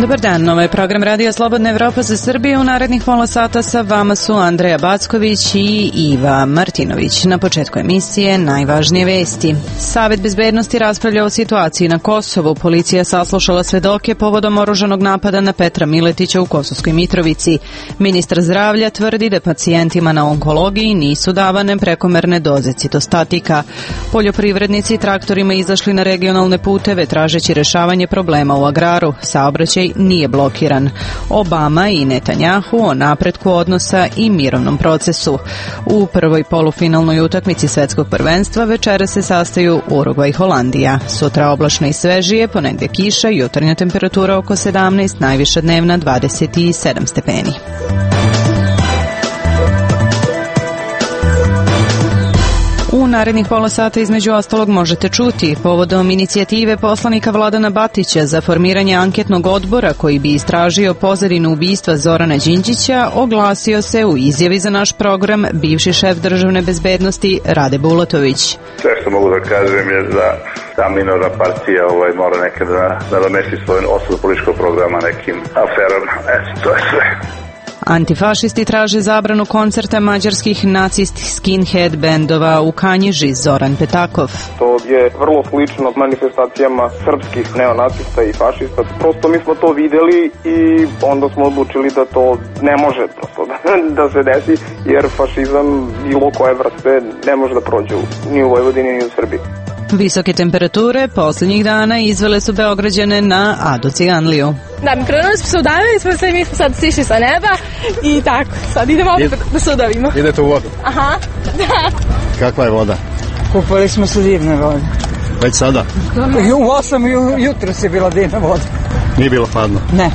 Dobar dan, ovo je program Radija Slobodna Evropa za Srbiju. U narednih pola sata sa vama su Andreja Backović i Iva Martinović. Na početku emisije najvažnije vesti. Savet bezbednosti raspravlja o situaciji na Kosovu. Policija saslušala svedoke povodom oružanog napada na Petra Miletića u Kosovskoj Mitrovici. Ministar zdravlja tvrdi da pacijentima na onkologiji nisu davane prekomerne doze citostatika. Poljoprivrednici traktorima izašli na regionalne puteve tražeći rešavanje problema u agraru. Saobraćaj nije blokiran. Obama i Netanjahu o napretku odnosa i mirovnom procesu. U prvoj polufinalnoj utakmici svetskog prvenstva večera se sastaju Urugvaj i Holandija. Sutra oblačno i svežije, ponegde kiša, jutarnja temperatura oko 17, najviša dnevna 27 stepeni. U narednih pola sata između ostalog možete čuti povodom inicijative poslanika Vladana Batića za formiranje anketnog odbora koji bi istražio pozadinu ubistva Zorana Đinđića, oglasio se u izjavi za naš program bivši šef državne bezbednosti Rade Bulatović. Sve što mogu da kažem je da ta minorna partija mora nekada da nadomesti svoj osnovu političkog programa nekim aferama. To je sve. Antifašisti traže zabranu koncerta mađarskih nacistskih skinhead bendova u Kanjiži. Zoran Petakov. To je vrlo slično manifestacijama srpskih neonacista i fašista. Prosto mi smo to videli i onda smo odlučili da to ne može prosto da se desi, jer fašizam bilo koje vrste ne može da prođe ni u Vojvodini ni u Srbiji. Visoke temperature posljednjih dana izvele su Beograđane na Ado Ciganliju. Da, mi krenuli smo se udavili, mi smo sad sišli sa neba i tako, sad idemo opet da se udavimo. Idete u vodu? Aha, da. Kakva je voda? Kupali smo se divne vode. Već sada? U 8 jutro se bila divna voda. Nije bilo hladno? Ne.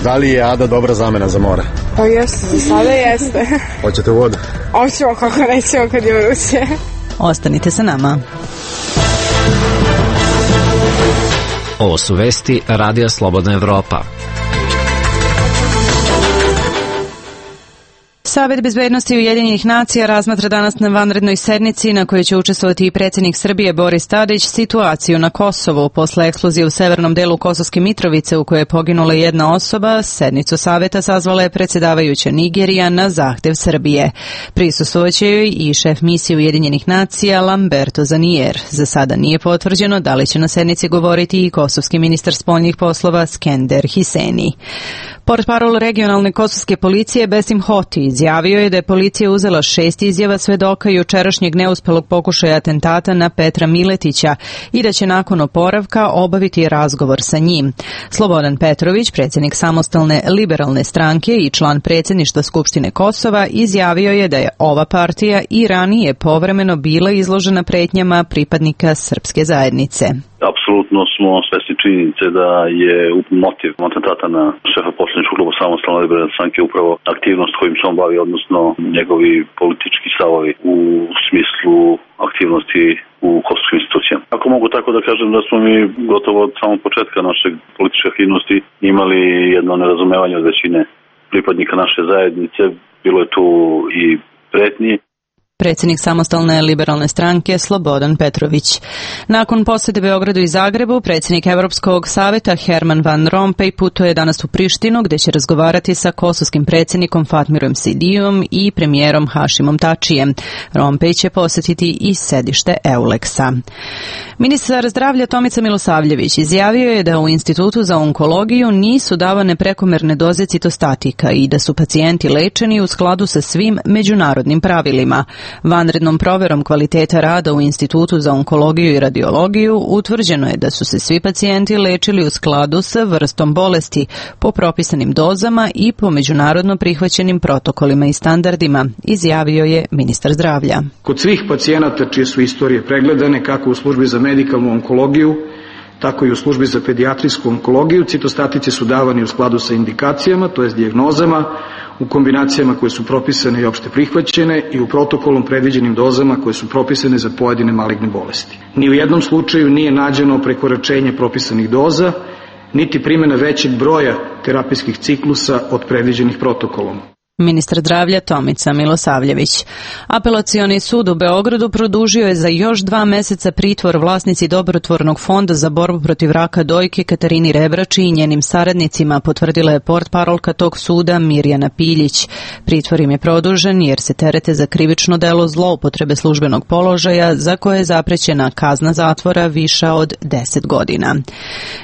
Da li je Ada dobra zamena za more? Pa jeste, za sada jeste. Hoćete u vodu? Hoćemo, kako nećemo kad je vruće. Ostanite sa nama. Ovo su vesti Radija Slobodna Evropa. Savet bezbednosti Ujedinjenih nacija razmatra danas na vanrednoj sednici na kojoj će učestvovati i predsjednik Srbije Boris Tadić situaciju na Kosovu. Posle eksplozije u severnom delu Kosovske Mitrovice u kojoj je poginula jedna osoba, sednicu saveta sazvala je predsjedavajuća Nigerija na zahtev Srbije. Prisustvovaće joj i šef misije Ujedinjenih nacija Lamberto Zanier. Za sada nije potvrđeno da li će na sednici govoriti i kosovski ministar spoljnih poslova Skender Hiseni. Portparol regionalne kosovske policije Besim Hoti izjavio je da je policija uzela 6 izjava svedoka jučerašnjeg neuspelog pokušaja atentata na Petra Miletića i da će nakon oporavka obaviti razgovor sa njim. Slobodan Petrović, predsjednik samostalne liberalne stranke i član predsjedništva Skupštine Kosova, izjavio je da je ova partija i ranije povremeno bila izložena pretnjama pripadnika srpske zajednice. Apsolutno smo svesni činjenice da je motiv atentata na šefa poslaničkog kluba samostalne liberalne stranke upravo aktivnost kojim se on bavi, odnosno njegovi politički stavovi u smislu aktivnosti u kosovskim institucijama. Ako mogu tako da kažem da smo mi gotovo od samog početka našeg političke aktivnosti imali jedno nerazumevanje od većine pripadnika naše zajednice, bilo je tu i pretnji. Predsjednik samostalne liberalne stranke Slobodan Petrović. Nakon posjete Beogradu i Zagrebu, predsjednik Evropskog saveta Herman Van Rompuy putuje danas u Prištinu gdje će razgovarati sa kosovskim predsjednikom Fatmirom Sidijom i premijerom Hašimom Tačijem. Rompuy će posjetiti i sedište Euleksa. Ministar zdravlja Tomica Milosavljević izjavio je da u Institutu za onkologiju nisu davane prekomerne doze citostatika i da su pacijenti lečeni u skladu sa svim međunarodnim pravilima. Vanrednom proverom kvaliteta rada u Institutu za onkologiju i radiologiju utvrđeno je da su se svi pacijenti lečili u skladu sa vrstom bolesti, po propisanim dozama i po međunarodno prihvaćenim protokolima i standardima, izjavio je ministar zdravlja. Kod svih pacijenata čije su istorije pregledane, kako u službi za medikalnu onkologiju, tako i u službi za pedijatrijsku onkologiju, citostatici su davani u skladu sa indikacijama, to jest dijagnozama, u kombinacijama koje su propisane i opšte prihvaćene i u protokolom predviđenim dozama koje su propisane za pojedine maligne bolesti. Ni u jednom slučaju nije nađeno prekoračenje propisanih doza, niti primjena većeg broja terapijskih ciklusa od predviđenih protokolom. Ministar zdravlja Tomica Milosavljević. Apelacioni sud u Beogradu produžio je za još 2 meseca pritvor vlasnici Dobrotvornog fonda za borbu protiv raka dojke Katarini Rebrači i njenim saradnicima, potvrdila je portparolka tog suda Mirjana Piljić. Pritvor im je produžen jer se terete za krivično delo zloupotrebe službenog položaja za koje je zaprećena kazna zatvora viša od 10 godina.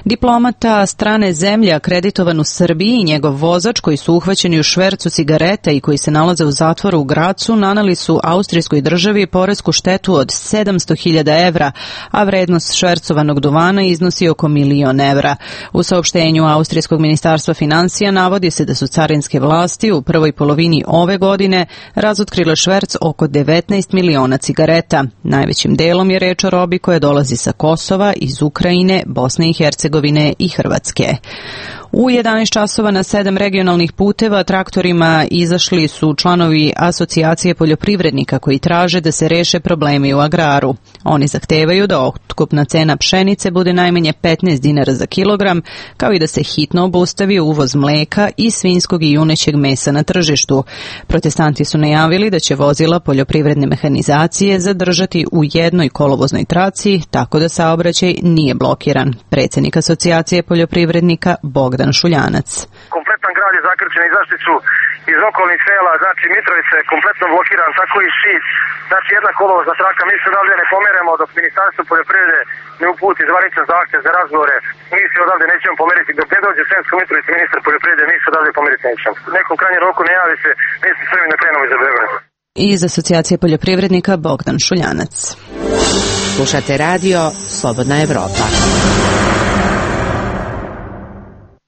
Diplomata strane zemlje akreditovan u Srbiji i njegov vozač koji su uhvaćeni u švercu cigareta i koji se nalaze u zatvoru u Gracu naneli su austrijskoj državi poresku štetu od 700.000 evra, a vrednost švercovanog duvana iznosi oko 1.000.000 evra. U saopštenju austrijskog ministarstva finansija navodi se da su carinske vlasti u prvoj polovini ove godine razotkrile šverc oko 19 miliona cigareta. Najvećim delom je reč o robi koja dolazi sa Kosova, iz Ukrajine, Bosne i Hercegovine i Hrvatske. U 11 časova na 7 regionalnih puteva traktorima izašli su članovi Asocijacije poljoprivrednika koji traže da se reše problemi u agraru. Oni zahtevaju da otkupna cena pšenice bude najmanje 15 dinara za kilogram, kao i da se hitno obustavi uvoz mleka i svinjskog i junećeg mesa na tržištu. Protestanti su najavili da će vozila poljoprivredne mehanizacije zadržati u jednoj kolovoznoj traci, tako da saobraćaj nije blokiran. Predsjednik Asocijacije poljoprivrednika Bogdan Šuljanac. Kompletan grad je zakrčen, izašli su iz okolnih sela, znači Mitrovica je kompletno blokiran, tako i Šid, znači jedna kolovozna traka. Mi se odavde ne pomeremo dok Ministarstvo poljoprivrede ne uputi zvaničan zahtjev za razgovore. Mi se odavde nećemo pomeriti dok ne dođe Sremsko Mitrovica ministar poljoprivrede, mi se odavde pomeriti nećemo. Nekom krajnjem roku ne javi se, mi se Srbi ne krenemo iza Beograda. Iz Asocijacije poljoprivrednika Bogdan Šuljanac. Slušate radio Slobodna Evropa.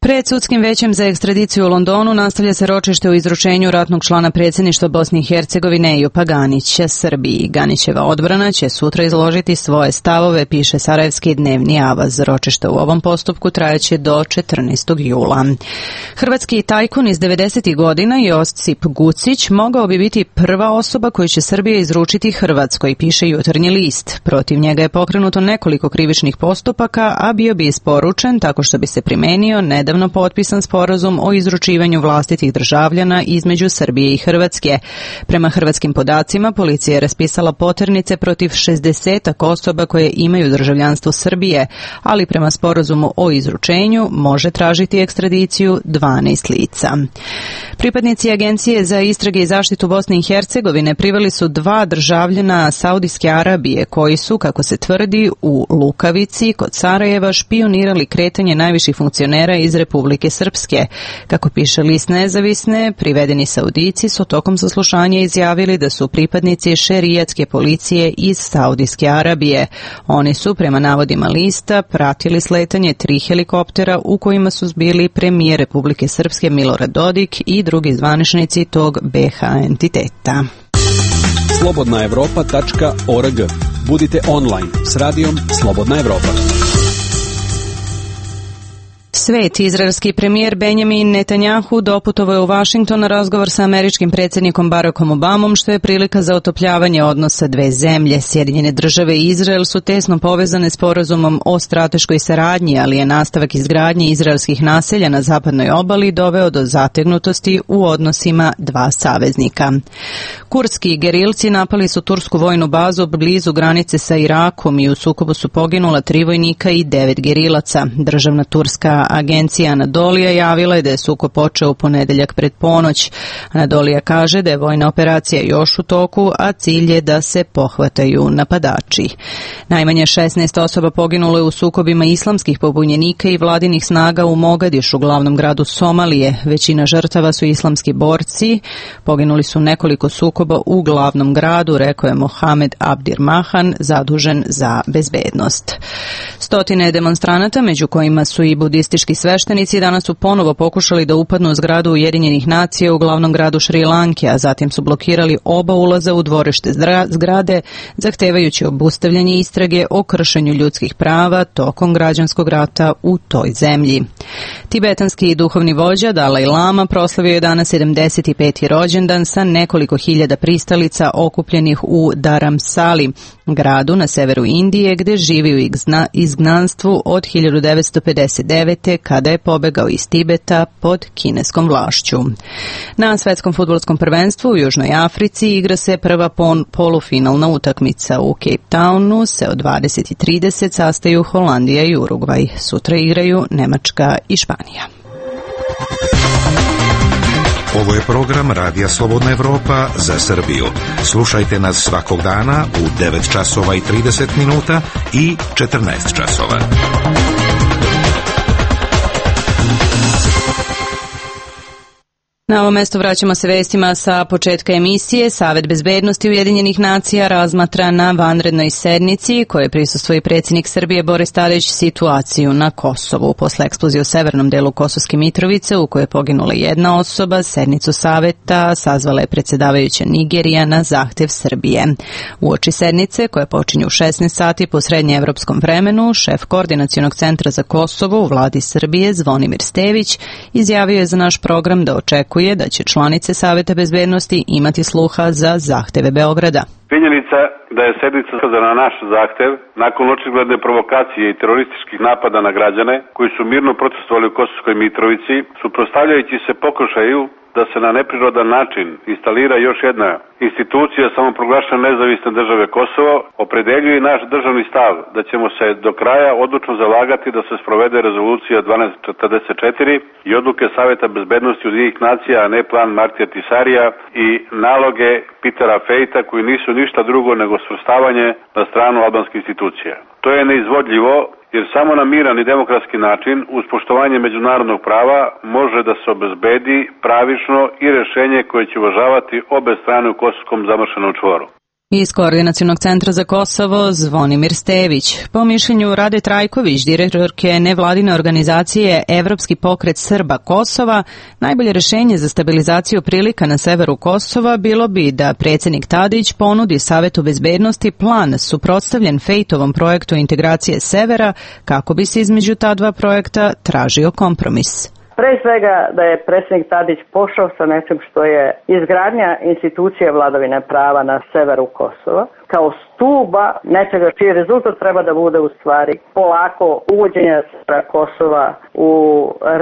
Pred sudskim većem za ekstradiciju u Londonu nastavlja se ročište u izručenju ratnog člana predsjedništva Bosne i Hercegovine Ejupa Ganića Srbiji. Ganićeva odbrana će sutra izložiti svoje stavove, piše Sarajevski dnevni avaz. Ročište u ovom postupku trajeće do 14. jula. Hrvatski tajkun iz 90. godina Josip Gucić mogao bi biti prva osoba koju će Srbija izručiti Hrvatskoj, piše Jutarnji list. Protiv njega je pokrenuto nekoliko krivičnih postupaka, a bio bi isporučen tako što bi se primenio nedavno potpisan sporazum o izručivanju vlastitih državljana između Srbije i Hrvatske. Prema hrvatskim podacima, policija je raspisala poternice protiv 60 osoba koje imaju državljanstvo Srbije, ali prema sporazumu o izručenju može tražiti ekstradiciju 12 lica. Pripadnici Agencije za istrage i zaštitu Bosne i Hercegovine priveli su 2 državljana Saudijske Arabije koji su, kako se tvrdi, u Lukavici kod Sarajeva špionirali kretanje najviših funkcionera iz Republike Srpske. Kako piše list Nezavisne, privedeni Saudici su tokom saslušanja izjavili da su pripadnici šerijatske policije iz Saudijske Arabije. Oni su, prema navodima lista, pratili sletanje 3 helikoptera u kojima su bili premijer Republike Srpske Milorad Dodik i drugi zvaničnici tog BH entiteta. slobodnaevropa.org. Budite online s radijom Slobodna Evropa. Svet, izraelski premijer Benjamin Netanjahu doputovao je u Vašington na razgovor sa američkim predsjednikom Barackom Obamom, što je prilika za otopljavanje odnosa dve zemlje. Sjedinjene države i Izrael su tesno povezane sporazumom o strateškoj saradnji, ali je nastavak izgradnje izraelskih naselja na zapadnoj obali doveo do zategnutosti u odnosima dva saveznika. Kurdski gerilci napali su tursku vojnu bazu blizu granice sa Irakom i u sukobu su poginula 3 vojnika i 9 gerilaca. Državna turska agencija Anadolija javila je da je sukob počeo u ponedeljak pred ponoć. Anadolija kaže da je vojna operacija još u toku, a cilj je da se pohvataju napadači. Najmanje 16 osoba poginulo je u sukobima islamskih pobunjenika i vladinih snaga u Mogadišu, glavnom gradu Somalije. Većina žrtava su islamski borci. Poginuli su nekoliko sukoba u glavnom gradu, rekao je Mohamed Abdir Mahan, zadužen za bezbednost. Stotine demonstranata, među kojima su i budistički sveštenici, danas su ponovo pokušali da upadnu u zgradu Ujedinjenih nacija u glavnom gradu Šri Lanke, a zatim su blokirali oba ulaza u dvorište zgrade, zahtevajući obustavljanje istrage o kršenju ljudskih prava tokom građanskog rata u toj zemlji. Tibetanski duhovni vođa Dalaj Lama proslavio je danas 75. rođendan sa nekoliko hiljada pristalica okupljenih u Dharamsali. gradu na severu Indije gde živi u izgnanstvu od 1959. kada je pobegao iz Tibeta pod kineskom vlašću. Na svetskom fudbalskom prvenstvu u Južnoj Africi igra se prva polufinalna utakmica. U Cape Townu se od 20:30 sastaju Holandija i Urugvaj. Sutra igraju Nemačka i Španija. Ovo je program Radija Slobodna Evropa za Srbiju. Slušajte nas svakog dana u 9 časova i 30 minuta i 14 časova. Na ovo mesto vraćamo se vestima sa početka emisije. Savet bezbednosti Ujedinjenih nacija razmatra na vanrednoj sednici koje prisustvuje predsjednik Srbije Boris Tadić situaciju na Kosovu. Posle eksplozije u severnom delu Kosovske Mitrovice u kojoj je poginula jedna osoba, sednicu saveta sazvala je predsjedavajuća Nigerija na zahtev Srbije. Uoči sednice koja počinje u 16 sati po srednjeevropskom vremenu, šef Koordinacionog centra za Kosovo u vladi Srbije Zvonimir Stević izjavio je za naš program da očekuje da će članice Saveta bezbednosti imati sluha za zahteve Beograda. Činjenica da je sednica na naš zahtev nakon očigledne provokacije i terorističkih napada na građane koji su mirno protestovali u Kosovskoj Mitrovici, suprotstavljajući se pokušaju da se na neprirodan način instalira još jedna institucija samoproglašene nezavisne države Kosovo, opredeljuje naš državni stav da ćemo se do kraja odlučno zalagati da se sprovede rezolucija 1244 i odluke Saveta bezbednosti Ujedinjenih nacija, a ne plan Martija Tisarija i naloge Petera Fejta koji nisu ništa drugo nego svrstavanje na stranu albanskih institucija. To je neizvodljivo jer samo na miran i demokratski način uz poštovanje međunarodnog prava može da se obezbedi pravično i rješenje koje će uvažavati obe strane u kosovskom zamršenom čvoru. Iz Koordinacionog centra za Kosovo Zvonimir Stević. Po mišljenju Rade Trajković, direktorke nevladine organizacije Evropski pokret Srba Kosova, najbolje rješenje za stabilizaciju prilika na severu Kosova bilo bi da predsjednik Tadić ponudi Savetu bezbednosti plan suprotstavljen Fejtovom projektu integracije severa kako bi se između ta dva projekta tražio kompromis. Pre svega da je predsjednik Tadić pošao sa nečim što je izgradnja institucije vladavine prava na severu Kosova, kao stuba nečega čiji rezultat treba da bude u stvari polako uvođenja Kosova u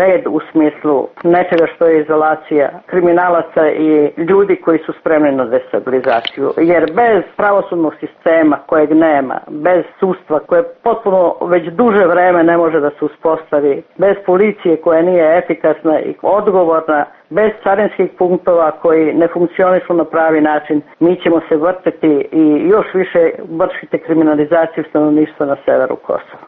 red u smislu nečega što je izolacija kriminalaca i ljudi koji su spremni na destabilizaciju. Jer bez pravosudnog sistema kojeg nema, bez sudstva koje potpuno već duže vreme ne može da se uspostavi, bez policije koja nije efikasna i odgovorna, bez carinskih punktova koji ne funkcionišu na pravi način, mi ćemo se vrteti i još više vršiti kriminalizaciju stanovništva na severu Kosova.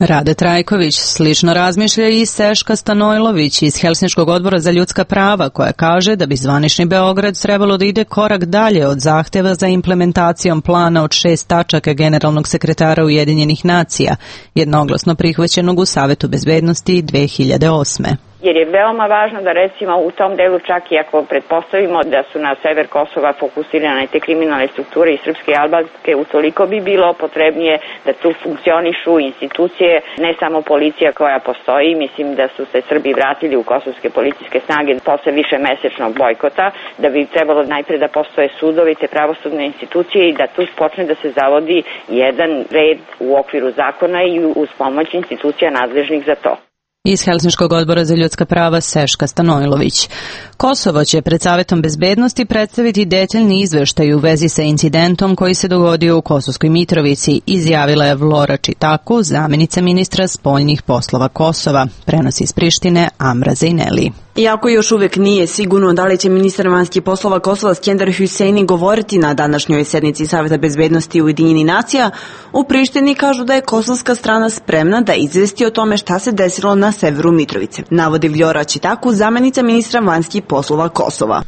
Rade Trajković slično razmišlja i Seška Stanojlović iz Helsinškog odbora za ljudska prava koja kaže da bi zvanični Beograd trebalo da ide korak dalje od zahteva za implementacijom plana od 6 tačaka generalnog sekretara Ujedinjenih nacija, jednoglasno prihvaćenog u Savetu bezbednosti 2008. Jer je veoma važno da recimo u tom delu čak i ako pretpostavimo da su na sever Kosova fokusirane te kriminalne strukture i srpske i albanske, utoliko bi bilo potrebnije da tu funkcionišu institucije, ne samo policija koja postoji. Mislim da su se Srbi vratili u kosovske policijske snage posle više mesečnog bojkota, da bi trebalo najpre da postoje sudovi te pravosudne institucije i da tu počne da se zavodi jedan red u okviru zakona i uz pomoć institucija nadležnih za to. Iz Helsinškog odbora za ljudska prava Seška Stanojlović. Kosovo će pred Savetom bezbednosti predstaviti detaljni izveštaj u vezi sa incidentom koji se dogodio u Kosovskoj Mitrovici, izjavila je Vlora Čitaku, zamjenica ministra spoljnih poslova Kosova. Prenosi iz Prištine Amra Zejneli. Iako još uvijek nije sigurno da li će ministar vanjskih poslova Kosova Skender Hüseini govoriti na današnjoj sednici Saveta bezbednosti Ujedinjenih nacija, u Prištini kažu da je kosovska strana spremna da izvesti o tome šta se desilo na severu Mitrovice. Navodi Vljora Čitaku, zamjenica ministra vanjskih poslova Kosova.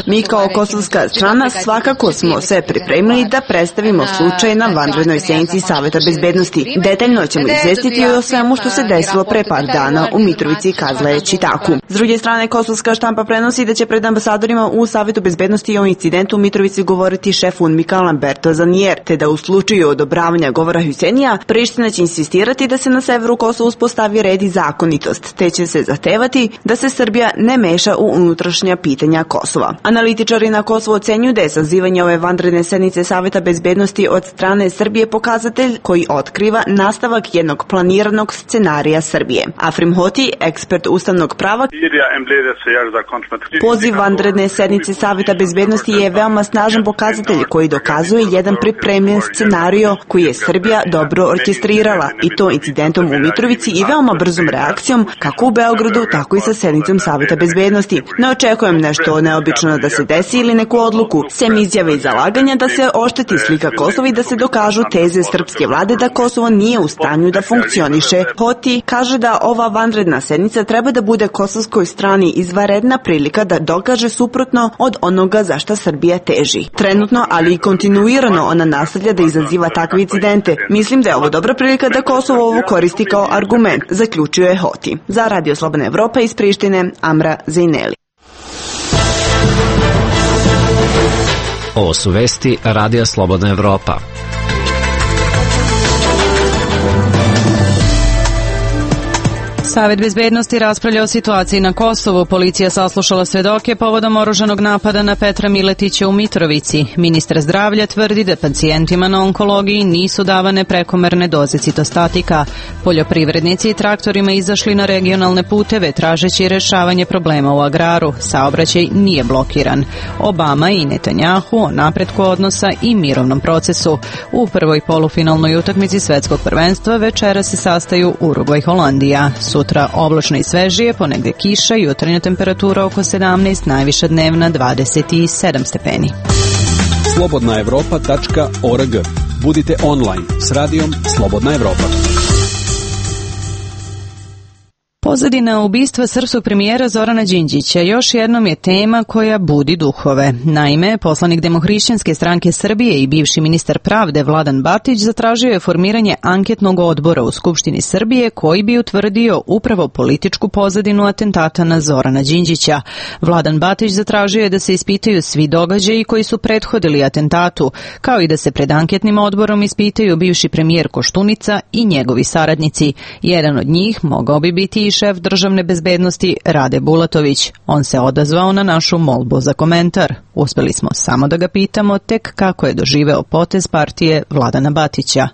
Mi kao kosovska strana svakako smo sve pripremili da predstavimo slučaj na vanrednoj sednici Saveta bezbednosti. Detaljno ćemo izvestiti o svemu što se desilo pre par dana u Mitrovici, kazala je Čitaku. S druge strane, kosovska štampa prenosi da će pred ambasadorima u Savetu bezbednosti o incidentu u Mitrovici govoriti šef UNMIK-a Lamberto Zanier, te da u slučaju odobravanja govora Hüseinija, Priština će insistirati da se na severu Kosova uspostavi red i zakonitost, te će se zahtevati da se Srbija ne meša u unutrašnja pitanja Kosova. Analitičari na Kosovu ocenjuju da je sazivanje ove vanredne sednice Saveta bezbednosti od strane Srbije pokazatelj koji otkriva nastavak jednog planiranog scenarija Srbije. Afrim Hoti, ekspert ustavnog prava, poziv vanredne sednice Saveta bezbednosti je veoma snažan pokazatelj koji dokazuje jedan pripremljen scenario koji je Srbija dobro orkestrirala, i to incidentom u Mitrovici i veoma brzom reakcijom kako u Beogradu, tako i sa sednicom Saveta bezbednosti. Ne očekujem nešto neobično da se desi ili neku odluku, sem izjave i zalaganja da se ošteti slika Kosova i da se dokažu teze srpske vlade da Kosovo nije u stanju da funkcioniše. Hoti kaže da ova vanredna sednica treba da bude kosovskoj strani izvanredna prilika da dokaže suprotno od onoga za šta Srbija teži. Trenutno, ali i kontinuirano ona nastavlja da izaziva takve incidente. Mislim da je ovo dobra prilika da Kosovo ovo koristi kao argument, zaključuje Hoti. Za Radio Slobodna Evropa iz Prištine, Amra Zejneli. Ovo su vesti Radija Slobodna Evropa. Savet bezbednosti raspravlja o situaciji na Kosovu. Policija saslušala svedoke povodom oružanog napada na Petra Miletića u Mitrovici. Ministar zdravlja tvrdi da pacijentima na onkologiji nisu davane prekomerne doze citostatika. Poljoprivrednici i traktorima izašli na regionalne puteve tražeći rešavanje problema u agraru. Saobraćaj nije blokiran. Obama i Netanjahu o napretku odnosa i mirovnom procesu. U prvoj polufinalnoj utakmici svetskog prvenstva večera se sastaju Urugvaj Holandija. Sutra oblačno i svežije, ponegde kiša, jutarnja temperatura oko 17, najviša dnevna 27 stepeni. slobodnaevropa.org. Budite online s radijom Slobodna Evropa. Pozadina ubistva srpskog premijera Zorana Đinđića još jednom je tema koja budi duhove. Naime, poslanik Demohrišćanske stranke Srbije i bivši ministar pravde Vladan Batić zatražio je formiranje anketnog odbora u Skupštini Srbije koji bi utvrdio upravo političku pozadinu atentata na Zorana Đinđića. Vladan Batić zatražio je da se ispitaju svi događaji koji su prethodili atentatu, kao i da se pred anketnim odborom ispitaju bivši premijer Koštunica i njegovi saradnici. Jedan od njih mogao bi biti i šef državne bezbednosti Rade Bulatović. On se odazvao na našu molbu za komentar. Uspeli smo samo da ga pitamo tek kako je doživeo potez partije Vladana Batića.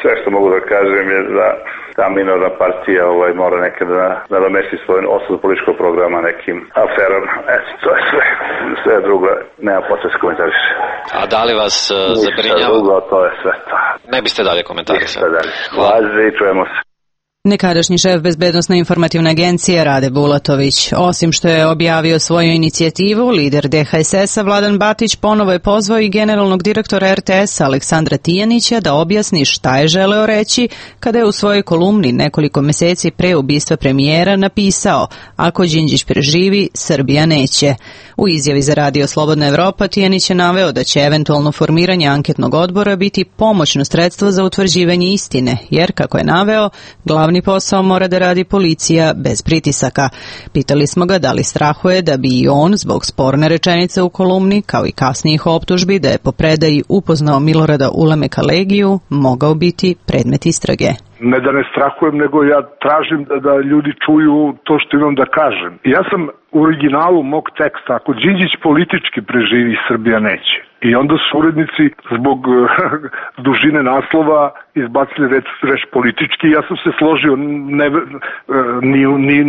Sve što mogu da kažem je da ta minorna partija mora nekad da nadomesti svoj osnov političkog programa nekim aferama. To je sve. Sve drugo nema potrebe se komentariše. A da li vas zabrinjava? Ništa drugo, to je sve to. Ne biste dalje komentarisali. Ništa dalje. Hvala i čujemo se. Nekadašnji šef Bezbednosne informativne agencije Rade Bulatović. Osim što je objavio svoju inicijativu, lider DHSS-a Vladan Batić ponovo je pozvao i generalnog direktora RTS-a Aleksandra Tijanića da objasni šta je želeo reći kada je u svojoj kolumni nekoliko meseci pre ubistva premijera napisao: ako Đinđić preživi, Srbija neće. U izjavi za Radio Slobodna Evropa Tijanić je naveo da će eventualno formiranje anketnog odbora biti pomoćno sredstvo za utvrđivanje istine, jer, kako je naveo, glavni posao mora da radi policija bez pritisaka. Pitali smo ga da li strahuje da bi i on, zbog sporne rečenice u kolumni, kao i kasnijih optužbi da je po predaji upoznao Milorada Ulemeka Legiju, mogao biti predmet istrage. Ne da ne strahujem, nego ja tražim da ljudi čuju to što imam da kažem. Ja sam u originalu mog teksta, ako Đinđić politički preživi, Srbija neće. I onda su urednici zbog dužine naslova izbacili reč politički. Ja sam se složio,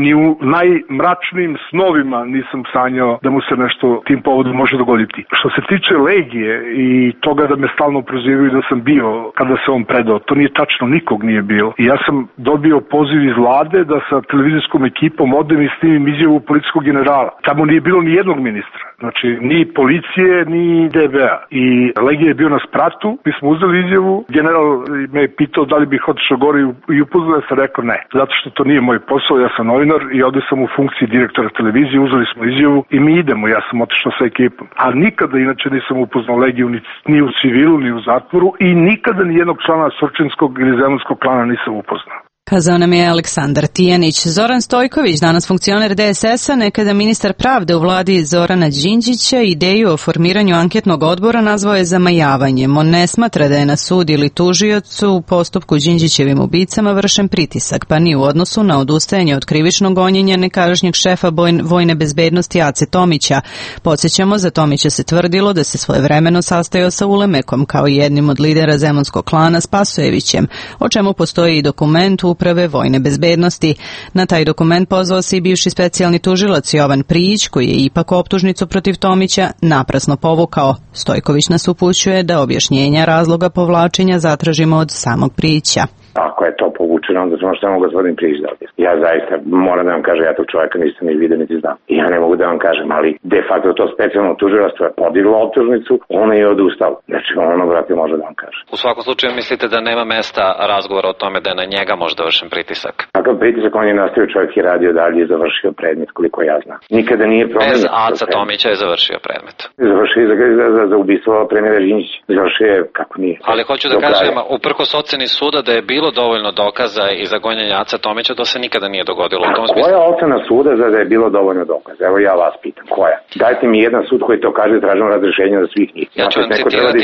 ni u najmračnijim snovima nisam sanjao da mu se nešto tim povodom može dogoditi. Što se tiče Legije i toga da me stalno prozivaju da sam bio kada se on predao, to nije tačno, nikog nije bilo. I ja sam dobio poziv iz vlade da sa televizijskom ekipom odem i snimim izjavu policijskog generala. Tamo nije bilo ni jednog ministra. Znači, ni policije, ni DB-a. I Legija je bio na spratu, mi smo uzeli izjavu, general me je pitao da li bih otišao gore i upoznao, ja sam rekao ne. Zato što to nije moj posao, ja sam novinar i ovdje sam u funkciji direktora televizije, uzeli smo izjavu i mi idemo, ja sam otišao sa ekipom. A nikada inače nisam upoznao Legiju ni u civilu, ni u zatvoru i nikada ni jednog člana Surčinskog ili Zemunskog klana nisam upoznao. Kazao nam je Aleksandar Tijanić. Zoran Stojković, danas funkcioner DSS-a, nekada ministar pravde u vladi Zorana Đinđića, ideju o formiranju anketnog odbora nazvao je zamajavanjem. On ne smatra da je na sud ili tužiocu u postupku Đinđićevim ubicama vršen pritisak, pa ni u odnosu na odustajanje od krivičnog gonjenja nekadašnjeg šefa vojne bezbednosti Ace Tomića. Podsjećamo, za Tomića se tvrdilo da se svojevremeno sastajao sa Ulemekom kao jednim od lidera zemunskog klana Spasojevićem, o čemu postoji i dokument Uprave vojne bezbednosti. Na taj dokument pozvao se i bivši specijalni tužilac Jovan Prijić, koji je ipak optužnicu protiv Tomića naprasno povukao. Stojković nas upućuje da objašnjenja razloga povlačenja zatražimo od samog Prijića. Ako je to povučeno, onda samo što mogu gospodin Prijić da objasni. Ja zaista moram da vam kažem, ja tog čovjeka nisam ni vidio niti znam. I ja ne mogu da vam kažem, ali de facto to specijalno tužilaštvo je podiglo optužnicu, ona je odustala. Znači ono, brate, može da vam kaže. U svakom slučaju mislite da nema mesta razgovora o tome da je na njega možda vršen pritisak? Takav pritisak on je nastavio, čovjek je radio dalje i završio predmet, koliko ja znam. Nikada nije promenio. Bez Aca Tomića je završio predmet. Završio za ubistvo premijera Đinđića. Završio je kako nije. Ali hoću da kažem, uprkos oceni suda da je bilo dovoljno dokaza i za gonjenje Aca Tomića, to se nikada nije dogodilo u tom smislu. Koja ocena suda za da je bilo dovoljno dokaza? Evo ja vas pitam, koja? Dajte mi jedan sud koji to kaže, tražimo razrešenje za svih njih. Ja ću vam citirati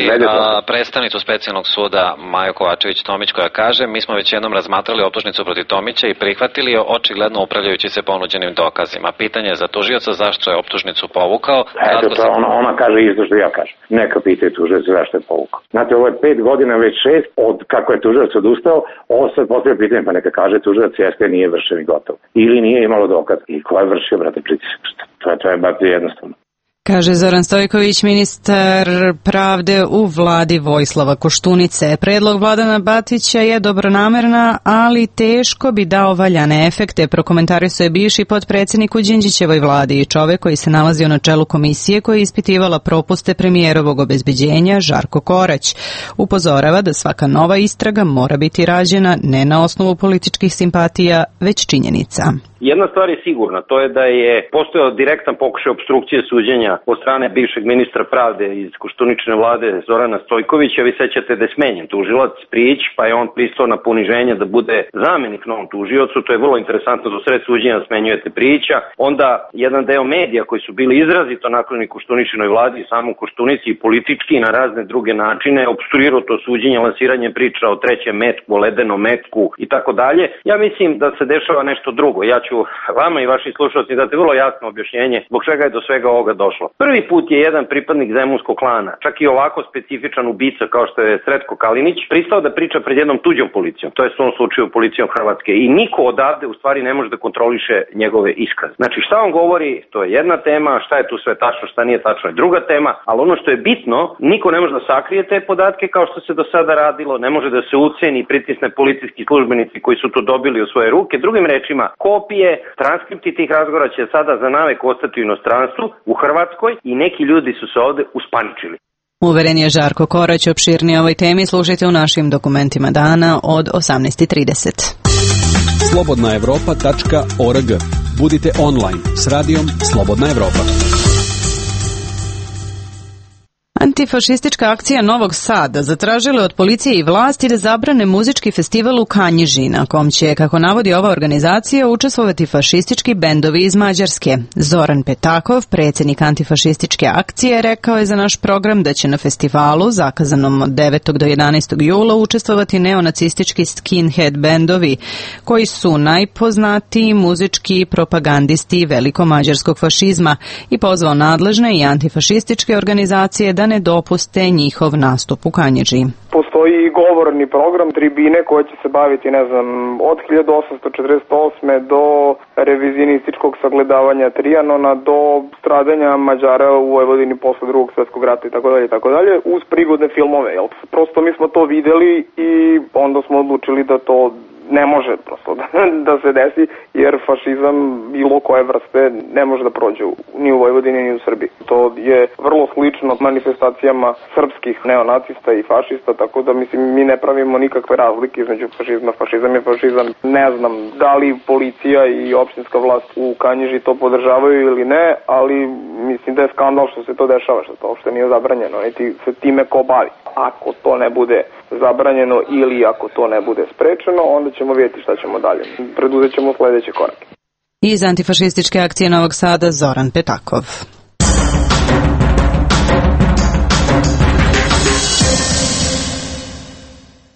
predstavnicu specijalnog suda Maju Kovačević-Tomić koja kaže: mi smo već jednom razmatrali optužnicu protiv Tomića i prihvatili je, očigledno upravljajući se ponuđenim dokazima. Pitanje je za tužioca zašto je optužnicu povukao. Eto, to ona kaže isto što ja kažem. Neka pitaju tužioca zašto je povukao. Znate, ovo je 5 godina, već 6 od kako je tužilac odustao. Ovo sad postavlja pitanje, pa neka kaže tužilac jeste nije vršen i gotovo. Ili nije imalo dokaz. I ko je vršio, brate, pritisak? To je baš jednostavno. Kaže Zoran Stojković, ministar pravde u vladi Vojislava Koštunice. Predlog Vladana Batića je dobronamerna, ali teško bi dao valjane efekte, prokomentarisao je bivši potpredsjednik u Đinđićevoj vladi i čovek koji se nalazio na čelu komisije koja je ispitivala propuste premijerovog obezbeđenja Žarko Korać. Upozorava da svaka nova istraga mora biti rađena ne na osnovu političkih simpatija, već činjenica. Jedna stvar je sigurna, to je da je postojao direktan pokušaj opstrukcije suđenja od strane bivšeg ministra pravde iz Koštuničine vlade Zorana Stojkovića. Vi sećate da je smenjen tužilac Prijić, pa je on pristao na poniženje da bude zamenik novom tužiocu. To je vrlo interesantno, do sred suđenja smenjujete Prijića. Onda jedan deo medija koji su bili izrazito naklonjeni Koštuničinoj vladi i samom Koštunici i politički i na razne druge načine opstruirao to suđenje, lansiranje priča o trećem metku, o ledenom metku i tako dalje. Ja mislim da se dešava nešto drugo. Ja ću vama i vašim slušalcima dati vrlo jasno objašnjenje zbog čega je do svega ovoga došlo. Prvi put je jedan pripadnik zemunskog klana, čak i ovako specifičan ubica kao što je Sretko Kalinić, pristao da priča pred jednom tuđom policijom, to je u ovom slučaju policijom Hrvatske, i niko odavde u stvari ne može da kontroliše njegove iskaze. Znači šta on govori, to je jedna tema, šta je tu sve tačno, šta nije tačno je druga tema, ali ono što je bitno, niko ne može da sakrije te podatke kao što se do sada radilo, ne može da se uceni i pritisne policijski službenici koji su to dobili u svoje ruke. Drugim rečima, kopije, transkripti tih razgovora će sada za navek ostati u inostranstvu, u Hrvatskoj, i neki ljudi su se ovde uspaničili. Uveren je Žarko Korać. Opširnije o ovoj temi slušajte u našim dokumentima dana od 18:30. slobodnaevropa.org. Budite online s radijom Slobodna Evropa. Antifašistička akcija Novog Sada zatražila od policije i vlasti da zabrane muzički festival u Kanjiži, na kom će, kako navodi ova organizacija, učestvovati fašistički bendovi iz Mađarske. Zoran Petakov, predsjednik antifašističke akcije, rekao je za naš program da će na festivalu, zakazanom od 9. do 11. jula, učestvovati neonacistički skinhead bendovi, koji su najpoznatiji muzički propagandisti velikomađarskog fašizma, i pozvao nadležne i antifašističke organizacije da ne dopuste njihov nastup u Kanjiži. Postoji govorni program tribine koja će se baviti, od 1848. do revizijonističkog sagledavanja Trijanona, do stradanja Mađara u Vojvodini posle Drugog svjetskog rata itd., uz prigodne filmove. Prosto mi smo to videli i onda smo odlučili da to ne može prosto da se desi, jer fašizam bilo koje vrste ne može da prođe ni u Vojvodini ni u Srbiji. To je vrlo slično manifestacijama srpskih neonacista i fašista, tako da mi ne pravimo nikakve razlike između fašizma. Fašizam je fašizam. Ne znam da li policija i opštinska vlast u Kanjiži to podržavaju ili ne, ali Mislim da je skandal što se to dešava, što to uopšte nije zabranjeno, niti se time ko bavi. Ako to ne bude zabranjeno ili ako to ne bude sprečeno, onda ćemo vidjeti šta ćemo dalje. Preduzet ćemo sledeće korake. Iz antifašističke akcije Novog Sada Zoran Petakov.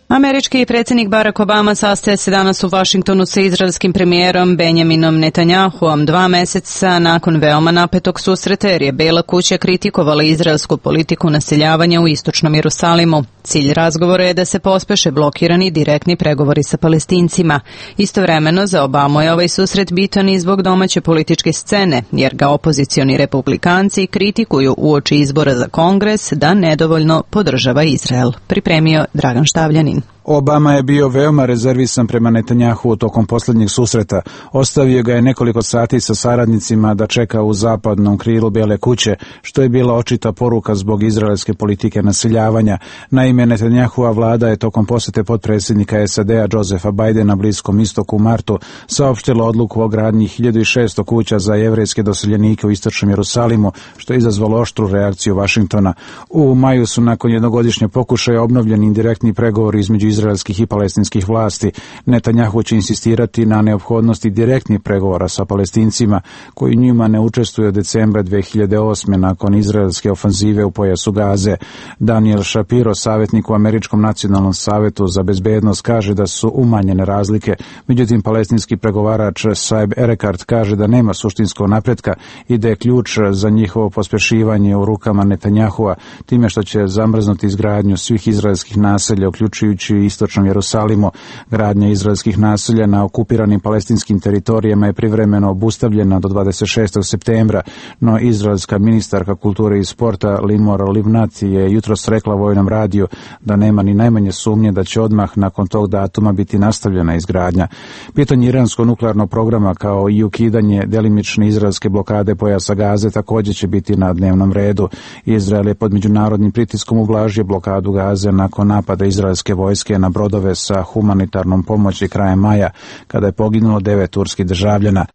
Američki predsjednik Barack Obama sastaje se danas u Vašingtonu sa izraelskim premijerom Benjaminom Netanjahuom 2 meseca nakon veoma napetog susreta jer je Bela kuća kritikovala izraelsku politiku naseljavanja u istočnom Jerusalimu. Cilj razgovora je da se pospeše blokirani direktni pregovori sa Palestincima. Istovremeno za Obamu je ovaj susret bitan i zbog domaće političke scene, jer ga opozicioni republikanci kritikuju uoči izbora za Kongres da nedovoljno podržava Izrael. Pripremio Dragan Štavljanin. Obama je bio veoma rezervisan prema Netanjahu tokom posljednjeg susreta. Ostavio ga je nekoliko sati sa saradnicima da čeka u zapadnom krilu Bele kuće, što je bila očita poruka zbog izraelske politike naseljavanja. Naime, Netanjahova vlada je tokom posjete potpredsjednika SAD-a Josepha Bidena Bliskom istoku u martu saopštila odluku o gradnji 1600 kuća za jevrejske doseljenike u istočnom Jerusalimu, što je izazvalo oštru reakciju Vašingtona. U maju su nakon jednogodišnje pokušaja obnovljeni indirektni pregovori između izraelskih i palestinskih vlasti. Netanjahu će insistirati na neophodnosti direktnih pregovora sa Palestincima koji njima ne učestvuju od decembra 2008. nakon izraelske ofanzive u pojasu Gaze. Daniel Shapiro, savjetnik u Američkom nacionalnom savetu za bezbednost, kaže da su umanjene razlike. Međutim, palestinski pregovarač Saeb Erekat kaže da nema suštinskog napretka i da je ključ za njihovo pospešivanje u rukama Netanjahua time što će zamrznuti izgradnju svih izraelskih naselja, uključujući u istočnom Jerusalimu. Gradnja izraelskih naselja na okupiranim palestinskim teritorijama je privremeno obustavljena do 26. septembra, no izraelska ministarka kulture i sporta Limor Livnat je jutros rekla Vojnom radiju da nema ni najmanje sumnje da će odmah nakon tog datuma biti nastavljena izgradnja. Pitanje iranskog nuklearnog programa kao i ukidanje delimične izraelske blokade pojasa Gaze također će biti na dnevnom redu. Izrael je pod međunarodnim pritiskom ublažio blokadu Gaze nakon napada izraelske vojske na brodove sa humanitarnom pomoći krajem maja, kada je poginulo 9 turskih državljana.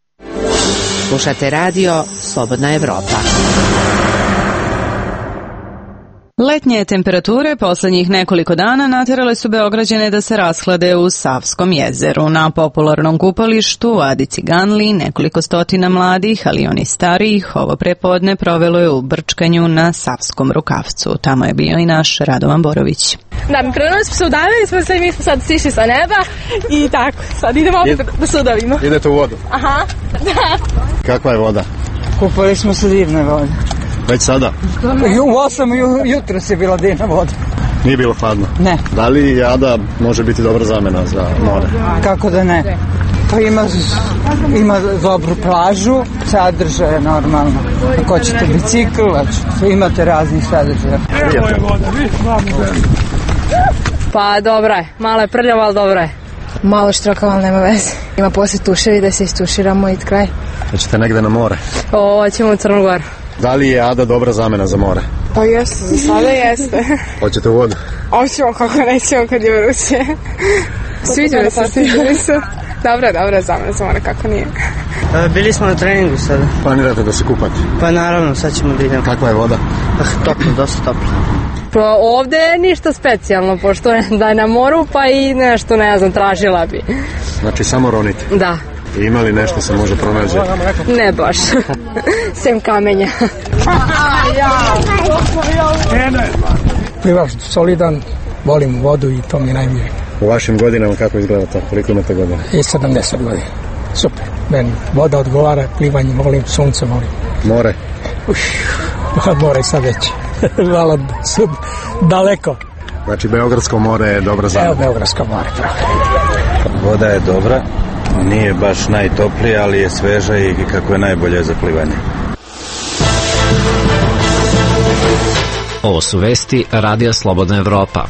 Slušate radio Slobodna Evropa. Letnje temperature posljednjih nekoliko dana natjerale su Beograđane da se rashlade u Savskom jezeru. Na popularnom kupalištu Adi Ciganli nekoliko stotina mladih, ali i oni starijih, ovo prepodne provelo je u brčkanju na Savskom rukavcu. Tamo je bio i naš Radovan Borović. Da, krenuli smo se udavili, mi smo sad sišli sa neba i tako, sad idemo opet da se udavimo. Idete u vodu? Aha, da. Kakva je voda? Kupali smo se divne vode. Već sada? U 8 jutro se bila divna voda. Nije bilo hladno? Ne. Da li Ada može biti dobra zamena za more? Kako da ne? Pa ima dobru plažu, sadržaje normalno. Ako hoćete bicikl, imate raznih sadržaja. Evo je voda, pa dobra je, malo je prljava, ali dobra je. Malo štrokava, ali nema veze. Ima poslije tuševi da se istuširamo i kraj. Hoćete negde na more? Hoćemo u Crnu Goru. Da li je Ada dobra zamena za more? Pa jeste, za sada jeste. Hoćete u vodu? Hoćemo, kako nećemo kad je vruće. Sviđa mi se. Dobra zamena za more, kako nije. Bili smo na treningu sada. Planirate da se kupate? Pa naravno, sad ćemo da idemo. Kakva je voda? Toplo, dosta toplo. Pa ovde je ništa specijalno, pošto da je na moru, pa i nešto, ne znam, tražila bi. Znači samo ronite? Da. I ima li nešto se može pronaći? Ne baš. Sem kamenja. Plivač solidan, volim vodu i to mi je najmilije. U vašim godinama kako izgleda to? Koliko imate godina? I 70 godina. Super. Meni voda odgovara, plivanje volim, sunce volim. More? More sad već. Malo daleko. Znači Beogradsko more je dobra zamena? Evo Beogradsko more, pravo. Voda je dobra, nije baš najtoplija, ali je sveža i kako je najbolje za plivanje. Ovo su vesti Radija Slobodna Evropa.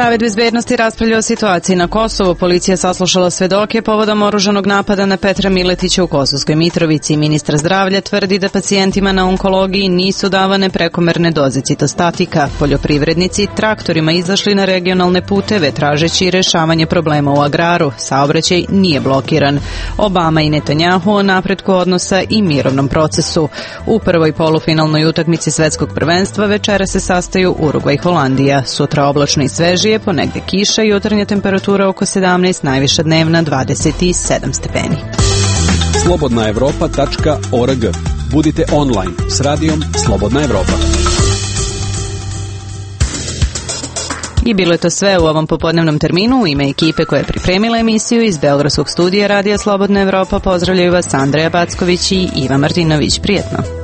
Savet bezbednosti raspravlja o situaciji na Kosovu. Policija saslušala svedoke povodom oružanog napada na Petra Miletića u Kosovskoj Mitrovici. Ministar zdravlja tvrdi da pacijentima na onkologiji nisu davane prekomerne doze citostatika. Poljoprivrednici traktorima izašli na regionalne puteve tražeći rešavanje problema u agraru. Saobraćaj nije blokiran. Obama i Netanjahu o napretku odnosa i mirovnom procesu. U prvoj polufinalnoj utakmici svetskog prvenstva večera se sastaju Urugvaj i Holandija. Sutra oblačno i svežije, ponegde kiša, jutarnja temperatura oko 17, najviša dnevna 27 stepeni. Slobodnaevropa.org. Budite online s radijom Slobodna Evropa. I bilo je to sve u ovom popodnevnom terminu. U ime ekipe koja je pripremila emisiju iz Beogradskog studija Radija Slobodna Evropa pozdravljaju vas Andreja Backović i Iva Martinović. Prijetno.